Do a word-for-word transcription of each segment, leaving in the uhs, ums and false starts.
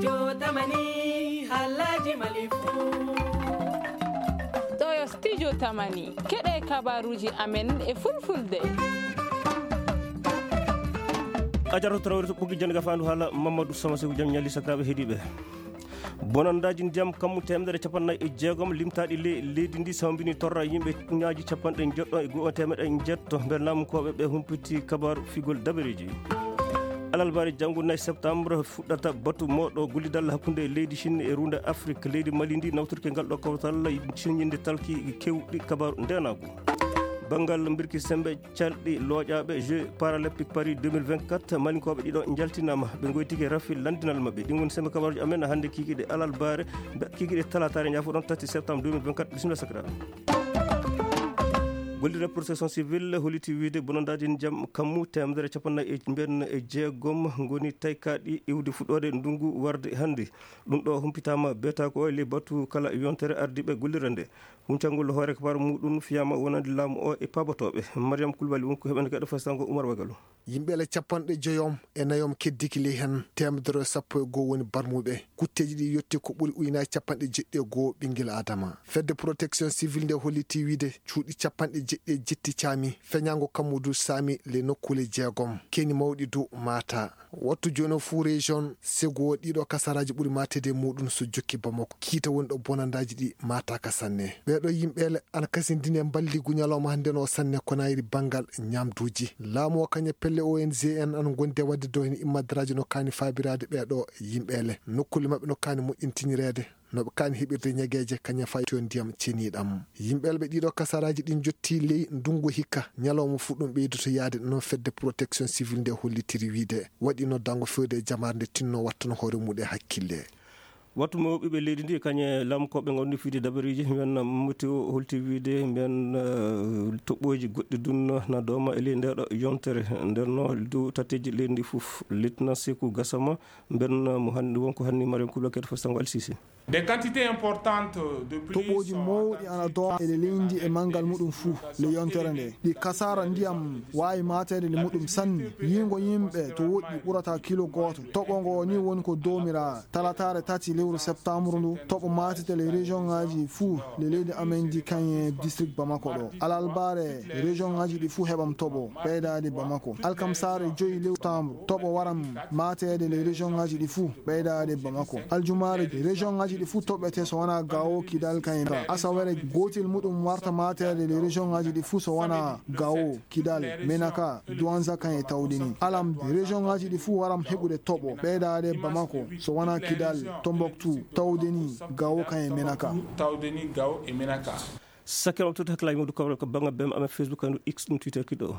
Jotamani, halaji malifu. Ɗo yo Studio Tamani, keɗe kabaruji amen e fulfulde. Ajaratu Traoré to ɓoggi jannde gafaandu haala Mamadou Sama Seku, jam ñalli sakiraaɓe heɗiiɓe. Bonanndaji ndiyam kammu teemedere capannay e jeegom limtaaɗi ley leydi ndi sawmbini torra yimɓe ñaaji capanɗe njeɗɗo e go'o teemeɗe njeɗɗo. Ɓe laamukooɓe ɓe humpiti kabaaru figol dabareeji. Alalbaare janngo nay septembre fuɗɗata batu mooɗo gollidal hakkunde leydi Chine e ruunde Afrique. Leydi Mali ndi nawtirke ngal ɗo kawtal siññinde talki kewɗi kabaaru ndeenaagu. Banngal mbirki sembe calɗi looƴaaɓe Jeux Paralympiques Paris deux mille vingt-quatre, Malinkooɓe ɗiɗo njaltinaama, ɓe ngoytike rafi lanndinal maɓɓe. Ɗin woni sembe kabaaruji amen hannde kikiɗe alalbaare, mbe-, kikiɗe talataare, ñaafoɗon, tati septembre deux mille vingt-quatre. Bisimilla sakiraaɓe. Gollirde protection civile holliti wiyde bonanndaji ndiyam kammu teemedere capannay e mbiyen e jeegom ngoni taykaaɗi iwde fuɗɗoode ndungu warde hannde. Ɗum ɗo humpitaama beetaako o e ley batu kala yontere ardiiɓe gollirde nde. Huncangol hoore kabaru muɗum fiyaama wonande laamu o e paabotooɓe. Mariam Kulbali woni ko heɓani kadi fastango Umar Wagalo. Yimɓe le capanɗe joyom e nayom keddiki ley heen, teemedere e sappo e goo woni barmuɓe. Kutteeji ɗi yetti ko ɓuri ujunaaji capanɗe jeɗɗi e goo ɓinngel Adama. Fedde Protection Civile nde holliti wiyde cuuɗi capanɗe jeɗɗi e jetti caami, feñaango kammu du saami le nokkuule jeegom. Keni mawɗi du maata. Wattu jooni o fuu région Ségou, ɗiɗo kasaraaji ɓuri maateede e muɗum so jokki Bamako. Kiita woni ɗo bonandaaji ɗi maataaka sanne. Ɓee ɗo yimɓeele ana kasindini e mballigu ñalawma hannde no sanne ko nayri banngal ñaamduuji. Laamu o kañe pelle O N G en ana ngondi e waɗde dow heen immadaraaji no kaani faabiraade ɓee ɗo yimɓeele. Nokkuule maɓɓe no kaani moƴƴintinireede. No ɓe kaani heɓirde ñageeje kañe fayto ndiyam ceniiɗam. Yimɓeele ɓe ɗiɗo kasaraaji ɗin jottii ley ndungu hikka, ñalawma fuu ɗum ɓeydoto yaade, no fedde protection civile nde hollitiri wiyde. Waɗi noddango fewde e jamaare nde tinno wattano hoore mum e hakkille. Wattu mawɓe ɓe leydi ndi kañe lamkooɓe ngawndi fiyde dabareeji, mbiyen météo holti wiyde mbiyen, eh, toɓɓooji goɗɗi dun na dooma e ley ndeeɗo yontere. Nden no dow tatteeji leydi ndi fof, Lieutenant Sekou Gassama, mbiyen mo hannde wonko hannde Mariam Koulibaly kadi fof sango Alsisi. Des quantités importantes de pluie. Toɓooji mawɗi ana dooma e leydi e manngal muɗum fuu le yontere nde. Ɗi kasaara ndiyam waawi maateede nde muɗum sanne. Yiingo yimɓe to woɗɗi ɓurata kilo gooto. Toɓo ngo ni woni ko doomiraa talataare tati lewru septembre ndu. Toɓo maatete le région ngaaji fuu le leydi amen ndi kañe district Bamako ɗo. Alalbaare région ngaaji ɗi fuu heɓam toɓo ɓeydaade Bamako. Alkamsaare joyi lewru septembre toɓo waram maateede le région ngaaji ɗi fuu. Ɓeydaade Bamako. Aljumaare, région ngaaji ɗi fuu toɓɓete so wonaa Gao, Kidal, kañum ka. Asawere, gootel muɗum warta maateede le région ngaaji ɗi fuu so wonaa Gao, Kidal, Menaka, Douentza kañum e Taoudeni. Alam, région ngaaji ɗi fuu waram heɓude toɓo, ɓeydaade Bamako, so wonaa Kidal, Tombouctou, Taoudeni, Gao kañum e Menaka. Taoudeni, Gao e Menaka. Sakkere o toti hakkilaaji mawɗi kawral ko bannga B M amen Facebook, kadi X, ɗum Twitter kiɗo o.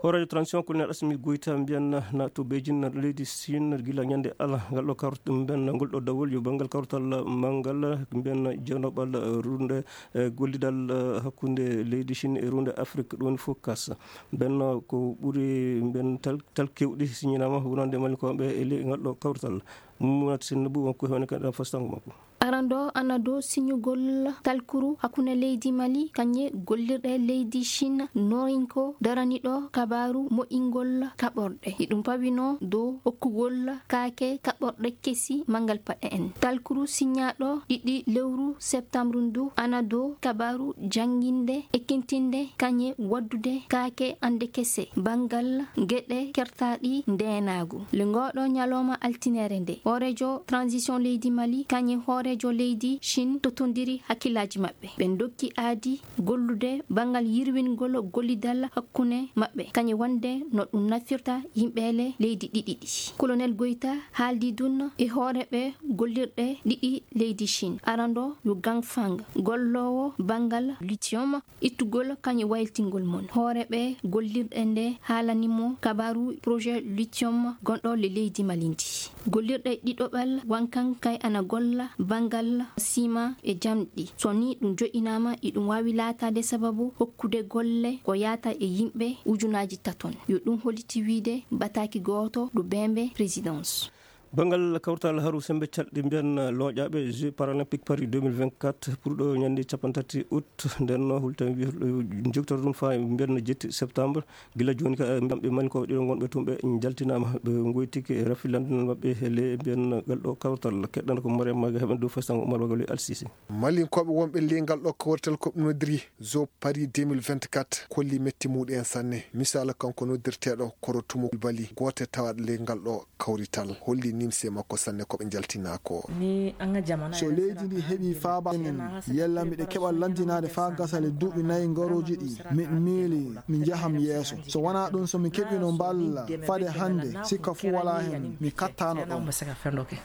Hooreejo transition, Colonel Assimi Goïta, mbiyan na to Beijing, na leydi Chine, gila ñande ala ngal ɗo kawrata ɗum, mbiyan na ngol ɗo dawol yo banngal kawtal manngal, mbiyan na jeynoɓal runde, eh, gollidal, eh, hakkunde leydi Chine e runde Afrique, ɗum woni fof kas. Mbiyan na ko ɓuri, mbiyan tal, tal kewɗi siñinaama wonande Malinkooɓe e ley ngal ɗo kawtal. Mounatou Seynabou won ko hewani kadi fastango makko. Arando ana dow siñugol talkuru hakkunde leydi Mali, kañe gollirɗe leydi Chine norinko daraniɗo kabaaru moƴƴingol kaɓorɗe. Iɗum pawino dow hokkugol kaake kaɓorɗe kesi manngal paɗe en. Talkuru siñaaɗo ɗiɗi lewru septembre ndu ana dow kabaaru jannginde, ekkintinde, kañe waddude kaake ande kese banngal geɗe kertaaɗi ndeenaagu. Le ngoɗo ñalawma altinere nde, hooreejo transition leydi Mali, kañe hooreejo leydi Chine totondiri hakkillaaji maɓɓe. Ɓe ndokki aadi gollude banngal yirwingol gollidal hakkunde maɓɓe, kañe wonde no ɗum nafirta yimɓeele leydi ɗiɗi ɗi. Colonel Goïta haaldi ɗum e hooreeɓe gollirɗe ɗiɗi leydi Chine. Arando yo Gangfang, golloowo banngal lithium, ittugol kañum wayltingol mon. Hooreeɓe gollirɗe nde haalani mo kabaaru projet lithium gonɗo le leydi Mali ndi. Gollirɗe ɗiɗoɓal wankan kay ana golla banngal sima e jamɗi. So ni ɗum joɗɗinaama, iɗum waawi laataade sababu hokkude golle ko yaata e yimɓe ujunaaji taton. Yo ɗum holliti wiide bataaki gooto ɗo bembe présidence. Banngal kawtal haru semmbe calɗi mbiyan looƴaaɓe Jeux Paralympiques Paris deux mille vingt-quatre, pour ɗo ñande cappanɗe tati août, nden no hulta jogtor ɗum faa mbiyan jetti septembre. Gila jooni ka, ɓe mani ko ɗiɗo ngonɓe tun ɓe njaltinaama, ɓe ngoytike rafi lanndinal maɓɓe he le mbiyan ngal ɗo kawtal. Keɗɗan ko Mariam Maga heɓen dow festango Umar Bagalo Al Sisi. Malinkooɓe wonɓe ley ngal ɗo kawrital ko ɓe noddiri Zo Paris deux mille vingt-quatre kolli metti muɗum en sanne. Misaala kanko noddirteeɗo Koro Tumo Bali, gooto e tawaaɗo ley ngal ɗo kawrital, holli nimse makko sanne ko ɓe njaltinaa ko. So leydi ndi heɓi faaba en, yalla miɗo keɓa lanndinaade faa gasa le duuɓi nayi ngarooji ɗi, mi miili mi njahan yeeso. So wanaa ɗum, so mi keɓino mballa fade hannde, sikka fuu walaa heen, mi kattaano ɗoon.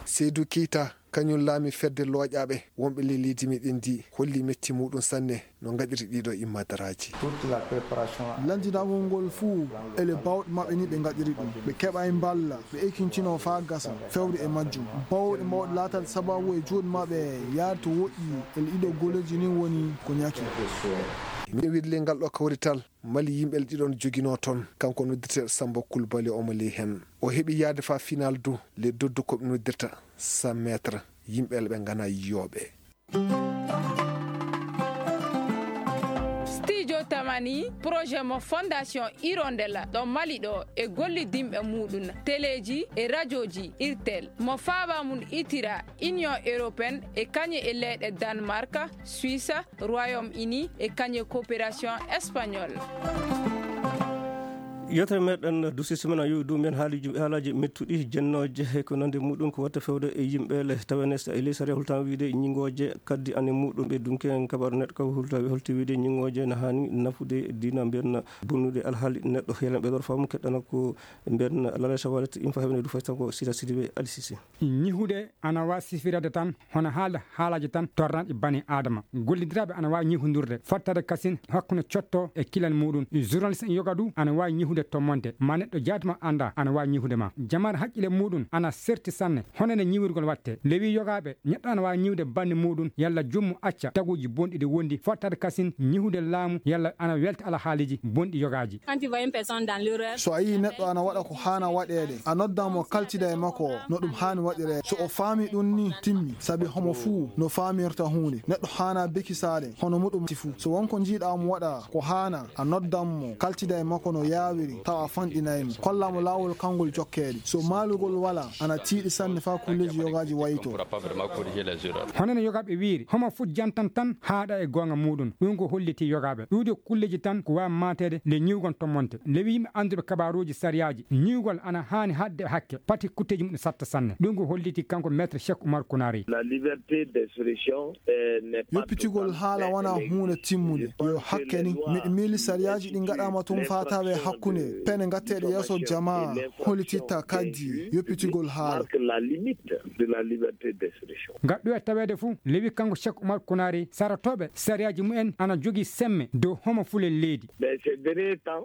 Seydou Keita, kañum laami fedde looƴaaɓe wonɓe ley leydi meɗen ndi, holli metti muɗum sanne no ngaɗiri ɗiɗo immadaraaji. Lanndinagol ngol fuu ele baawɗe maɓɓe ni ɓe ngaɗiri ɗum. Ɓe keɓay mballa, ɓe ekkintinoo faa gasa, fewde e majjum. Baawɗe mawɗe laataade sababu e juuɗe maɓɓe yaade to woɗɗi ele ɗiɗo golleeji ni woni ko ñaki. Miɗo wiide ley ngal ɗo kawrital, Mali yimɓe ele ɗiɗo no joginoo toon, kanko noddirteeɗo Samba Koulibaly omo ley heen. O heɓi yaade faa final du le doddu ko ɓe noddirta cent mètres, yimɓe ele ɓe nganaa yiyooɓe. Studio Tamani, projet mo Fondation Hirondella ɗo Mali ɗo e gollidinɓe muɗum, teleeji e rajooji Irtel, mo faaba mum itira Union Européenne e kañe e leyɗe Danemark, Suisse, Royaume-Uni e kañe coopération espagnole. Yewtere meɗen duusi semaine a yowi dow mbiyen haaliji, haalaaji mettuɗi jennooje e ko nandi muɗum ko watta fewde e yimɓe le tawene sa-, e ley sariya hultama wiide ñingooje kaddi ane muɗum ɓe dunke en kabaru neɗɗo ka hulta holti wiide ñingooje na haani nafude diina mbiyen bonnude alhaali neɗɗo helan ɓe ɗor faamu keɗɗana ko mbiyen lala shawalit in fa heɓene du faytan ko sita sidiɓe alisisi. Ñihude ana waawi sifirade tan hono haalde haalaaji tan torranɗi bani Aadama. Gollidiraaɓe ana waawi ñihundirde, fottade kasin hakkunde cotto e kilal muɗum. Journaliste en yoga du ana waawi ñihude tommonte. Ma neɗɗo jaati ma annda ana waawi ñihude ma. Jamaare haqqille muɗum ana serti sanne. Hono nde ñiwirgol watte. Lewi yogaaɓe, neɗɗo ana waawi ñiwde bannde muɗum, yalla jommu acca taguuji bonɗi ɗi wondi, fottade kasin ñihude laamu, yalla ana welta alhaaliiji bonɗi yogaaji. So a yii neɗɗo ana waɗa ko haana waɗeede, a noddan mo kaltida e makko no ɗum haani waɗireede. So o faami ɗum ni, timmi, sabi homo fuu no faamirta huunde. Neɗɗo haana bekisaade hono muɗum ti fuu. So won ko njiiɗa mo waɗa ko haana, a noddan mo, kaltida e makko no yaawiri, tawa a fanɗinay mo. Kolla mo laawol kanngol jokkeede. So maalugol walaa, ana tiiɗi sanne faa kulleeji yogaaji wayto. Hono no yogaaɓe wiiri, homo fuu jantan tan haaɗa e goonga muɗum. Ɗum ko holliti yogaaɓe. Ɗuuɗi kulleeji tan ko waawi maateede nde ñiwgol tommonte. Lewi yimɓe annduɓe kabaaruuji sariyaaji, ñiwgol ana haani haɗde hakke, pati kutteeji mum satta sanne. Ɗum ko holliti kanko Maître Cheikh Oumar Kounari. La liberté d'expression, eh, n'est pas Yoppitigol haala wanaa huunde timmunde. Yo hakke ni, miɗo miili sariyaaji ɗi ngaɗaama tun faa tawee hakkunde pene ngatteeɗe yeeso jamaa hollititta kaddi yoppitigol haala. Marque la limite de la liberté d'expression. Ngal ɗo e taweede fuu, lewi kanko Cheikh Oumar Kounari, saratooɓe sariyaaji mumen ana jogii semme dow homo fuu le leydi.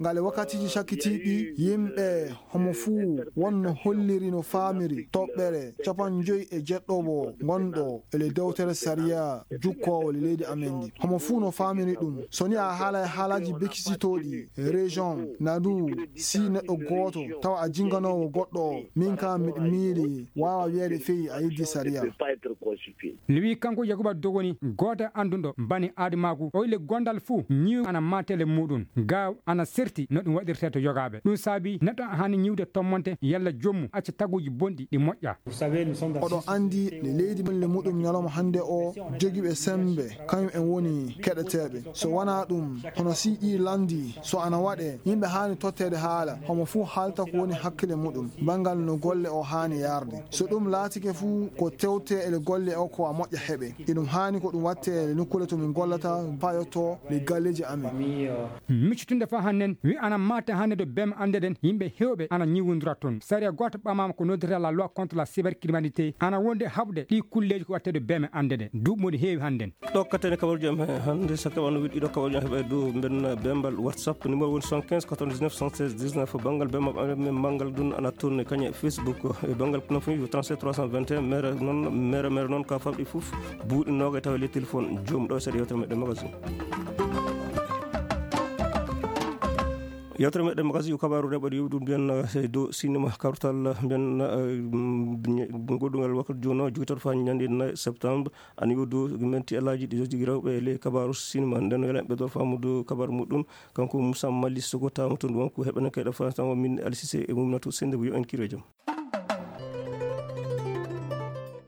Ngal e wakkatiiji cakkitiiɗi, yimɓe homo fuu wonno holliri no faamiri toɓɓere capanɗe joyi e jeɗɗo wo ngonɗo e le dewtere sariya jukkoowo le leydi amen ndi. Homo fuu no faamiri ɗum. So ni a haala e haalaaji bekisitooɗi, région, nadu, si neɗɗo gooto tawa a jinganoowo goɗɗo o, min kam miɗo miili waawa wiyeede feyi a yeddi sariya. Lewi kanko Yakuba Dogoni, gooto e annduɗo bani aadamaagu, o ile gondal fuu ñiw ana maatele muɗum. Gaaw ana serti no ɗum waɗirtee to yogaaɓe. Ɗum saabi neɗɗo haani ñiwde tommonte yalla jommu acca taguuji bonɗi ɗi moƴƴa. Oɗo anndi nde leydi men le muɗum ñalawma hannde o jogiiɓe semmbe, kañum en woni keɗeteeɓe. So wanaa ɗum, hono si ɗi lanndi, so ana waɗee, yimɓe haani totteede haala, homo fuu haalta ko woni hakkille muɗum, banngal no golle o haani yaarde. So ɗum laatike fuu, ko tewtee ele golle o ko a moƴƴa heɓe. Iɗum haani ko ɗum wattee ele nokkuule to min gollata, faa yottoo le galleeji amen. Miccitunde faa hannden, wi ana maate hannde to beeme annde ɗen, yimɓe heewɓe ana ñiwondira toon. Sariya gooto ɓamaama ko noddata la loi contre la cybercriminalité, ana wonde haɓde ɗi kulleeji ko wattee to beeme annde ɗen. Duuɓi moɗi heewi hannden. Ɗo kattene kaɓorɗe am he hannde, so keɓano wiɗɗo ɗiɗo kaɓorɗe am heɓa e dow mbenna bembal WhatsApp, numéro woni soixante-quinze quatre-vingt-dix-neuf soixante-seize dix-neuf. Banngal bembal amen, banngal ɗum ana tourné kañe Facebook. E banngal non fof trente-sept trois cent vingt et un, mere noon, mere, mere noon ka famɗi fof, buuɗi noga e tawa le téléphone joom ɗo e seeɗa yewtere meɗen magazine. Yewtere meɗen magazine kabaaru rewɓe ɗo yewi ɗum mbiyan, eh, dow sinema kawtal mbiyan, eh, mm, goɗɗungal wakkati jono jogitoto fa ñande nayi septembre. Ani o dow menti alaaji ɗi jogii rewɓe e ley kabaaru sinema. Nden yala ɓe ɗo faamu dow kabaaru muɗum. Kanko Moussa Mali Sogo tawamo to ɗum ko heɓana kayɗa France tan o min Alisise e mumnato sende yo en kiro jam.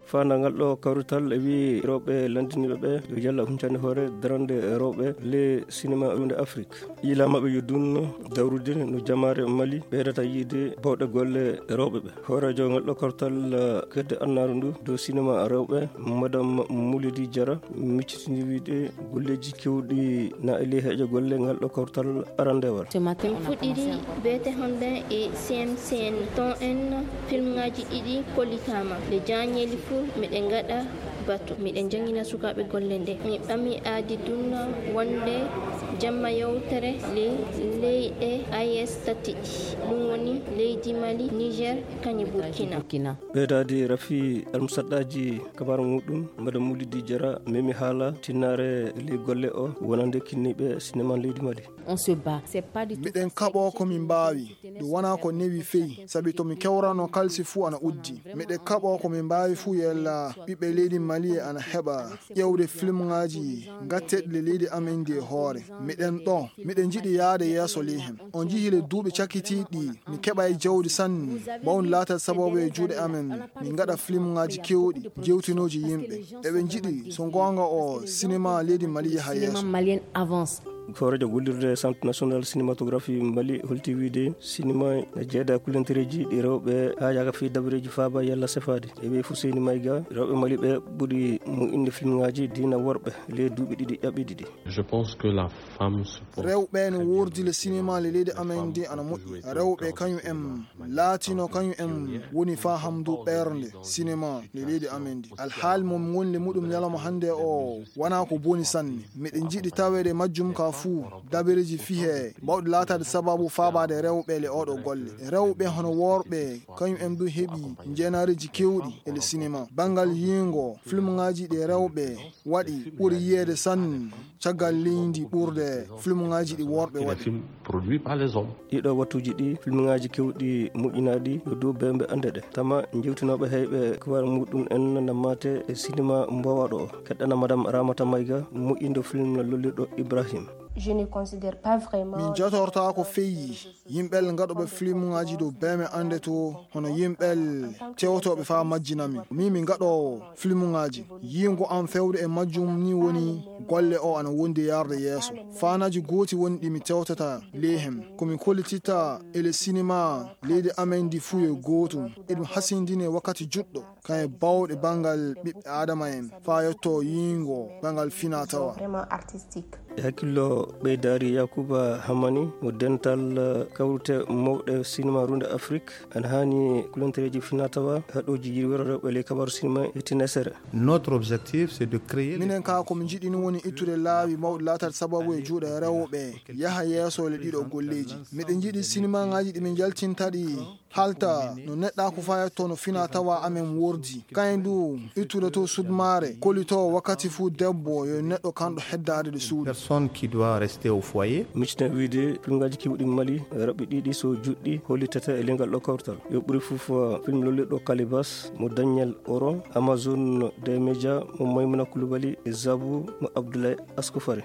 Fanda ngal ɗo kawrital e wi rewɓe landiniiɓe ɓe yo Yalla huncani hoore darande rewɓe le sinema runde Afrique. Yiila maɓɓe yo dunno dawrude no jamaare Mali ɓeydata yiide bawɗe golle rewɓe ɓe. Hooreejo ngal ɗo kawrital kedde annaaru ndu dow sinema rewɓe, Madame Moulidi Diarra, miccitini wiide golleeji kewɗi na e ley heejo golle ngal ɗo kawrital arandewal. Ce matin, on a commencé à organiser. Fuɗɗiri B T Honden e C M C N ton en filmŋaaji ɗiɗi kollitaama. Nde jaañeeli fuu miɗen ngaɗa batu. Miɗen janngina sukaaɓe golle nde. Mi ɓami aadi dunna wonde jamma yewtere ley leyɗe A E S tati ɗi. Ɗum woni leydi Mali, Niger, kañum Burkina. Burkina. Ɓeydaade rafi almusaɗɗaaji kabaaru muɗum, Madame Moulidi Diarra, memi haala tinnaare ley golle o wonande kinniiɓe sinema leydi Mali. On se bat. C'est pas du tout. Miɗen kaɓoo ko min mbaawi. Ɗum wonaa ko newi feyi, sabi to mi kewrano kalsi fuu ana uddi. Miɗen kaɓoo ko min mbaawi fuu yella ɓiɓɓe leydi Mali ana heɓa ƴeewde filmŋaaji gatteɗi le leydi amen ndi e hoore. Miɗen ɗo, miɗen njiɗi yahde yeeso ley hen. On njihii le duuɓi cakkitiiɗi, mi keɓay jawdi sanne, mawni laatal sababu e juuɗe amen, min ngaɗa filmŋaaji keewɗi, jewtinooji yimɓe. Eɓe njiɗi, so goonga o, sinema leydi Mali yaha yeeso. Cinéma malien avance. Hooreejo gollirde Centre National Cinématographie Mali holti wiide sinema ne jeeda kulantereeji ɗi rewɓe haa yaaka fii dabareeji faaba yalla sefaade. E ɓe Fuseyni Mayga, rewɓe Mali ɓe ɓuri moƴƴinde filmŋaaji diina worɓe ley duuɓi ɗiɗi ƴaɓɓi ɗiɗi. Je pense que la femme se porte Rewɓe no très bien woordi le dans le sinema le leydi cinéma. Les amen femmes ndi ana ont moƴƴi. Toujours été au cœur du cinéma. Laatino kañum en woni faa hamdu ɓernde sinema le leydi amen ndi. Alhaali mo min ngoni le muɗum ñalawma hannde o wonaa ko boni sanne. Miɗen njiɗi taweede majjum ka fuu dabareeji fihe bawɗi laataade sababu faabaade rewɓe le oɗo golle. Rewɓe hono worɓe kañum en du heɓi njeenareeji keewɗi e le sinema. Banngal yiingo filmŋaaji ɗi rewɓe waɗi ɓuri yiyeede sanne caggal leydi ɓurde filmŋaaji ɗi worɓe waɗi. Des films produits par les hommes. Ɗiɗo wattuuji ɗi filmŋaaji keewɗi moƴƴinaaɗi yo dow bembe annde ɗe. Tama jewtinooɓe heyɓe kuwar muɗum en nammate e sinema mbowaɗo o. Keɗɗana Madame Ramata Mayga moƴƴindo film lollirɗo Ibrahim. Je ne considère pas vraiment. Min jatortaako feyi yimɓel ngaɗuɓe filmŋaaji dow beme annde to hono yimɓel tewtooɓe faa majjinamin. Min mi ngaɗoowo filmŋaaji. Yiingo am fewde e majjum ni woni golle o ana wondi yarde yeeso. Faanaaji gooti woni ɗi mi tewtata ley hem. Ko mi kollititta e le sinema leydi amen ndi fuu yo gootum. Eɗum hasindini e wakkati juɗɗo. Kañum e bawɗe banngal ɓiɓɓe Aadama en faa yetto yiingo banngal finaa tawa. Vraiment artistique. E hakkillo ɓeydaari Yakuba Hamani mo dental, eh, kawrite mawɗe sinema runde Afrik, ana haani kulontereeji finaa tawa haɗooji yirwere rewɓe ley kabaru sinema e tinesere. Notre objectif, c'est de créer les Minen kaa ko mi njiɗi ni woni ittude laawi mawɗi laataade sababu e juuɗe rewɓe yaha yeeso le ɗiɗo golleeji. Miɗen njiɗi sinemaŋaaji ɗi min njaltinta ɗi halta no neɗɗaaku fayatto no finaa tawa amen wordi. Kayen du ittude to sudmaare, kollitoo wakkati fuu debbo yo neɗɗo kanɗo heddaade ɗo suudu. Personne qui doit rester au foyer. Miccita wiide filmŋaaji keewɗi Mali, raɓɓi ɗiɗi so juɗɗi hollitata e lengal ɗo kawtal. Yo ɓuri fof, uh, film lollirɗo Kalibas mo Daniel Oro, Amazon des Médias mo Maymuna Kulubali e Zabu mo Abdoulaye Askofare.